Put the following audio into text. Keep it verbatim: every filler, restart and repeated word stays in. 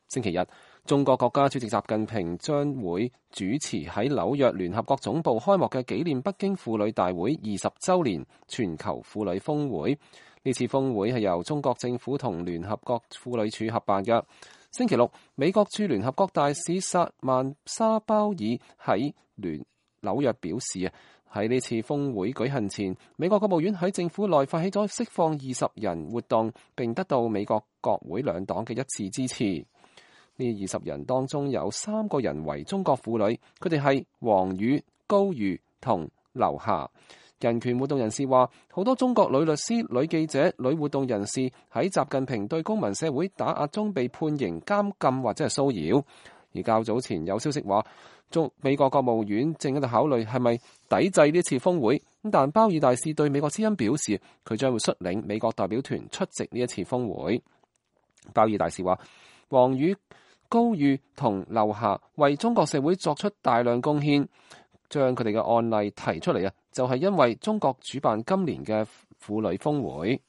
星期日，中國國家主席習近平將會主持喺紐約聯合國總部開幕嘅紀念北京婦女大會二十週年全球婦女峰會。呢次峰會係由中國政府同聯合國婦女署合辦嘅。星期六，美國駐聯合國大使薩曼沙鮑爾喺聯紐約表示啊，喺呢次峰會舉行前，美國國務院喺政府內發起咗釋放二十人活動，並得到美國國會兩黨嘅一致支持。呢二十人當中有三個人為中國婦女，佢哋係王宇、高瑜同劉霞。人權活動人士話，好多中國女律師、女記者、女活動人士喺習近平對公民社會打壓中被判刑、監禁或者係騷擾。而較早前有消息話，中美國國務院正喺度考慮係咪抵制呢次峰會。但鮑爾大使對美國之音表示，佢將會率領美國代表團出席呢一次峰會。鮑爾大使話，王宇、高瑜同劉霞為中國社會作出大量貢獻，將佢哋嘅案例提出嚟啊，就係因為中國主辦今年嘅婦女峰會。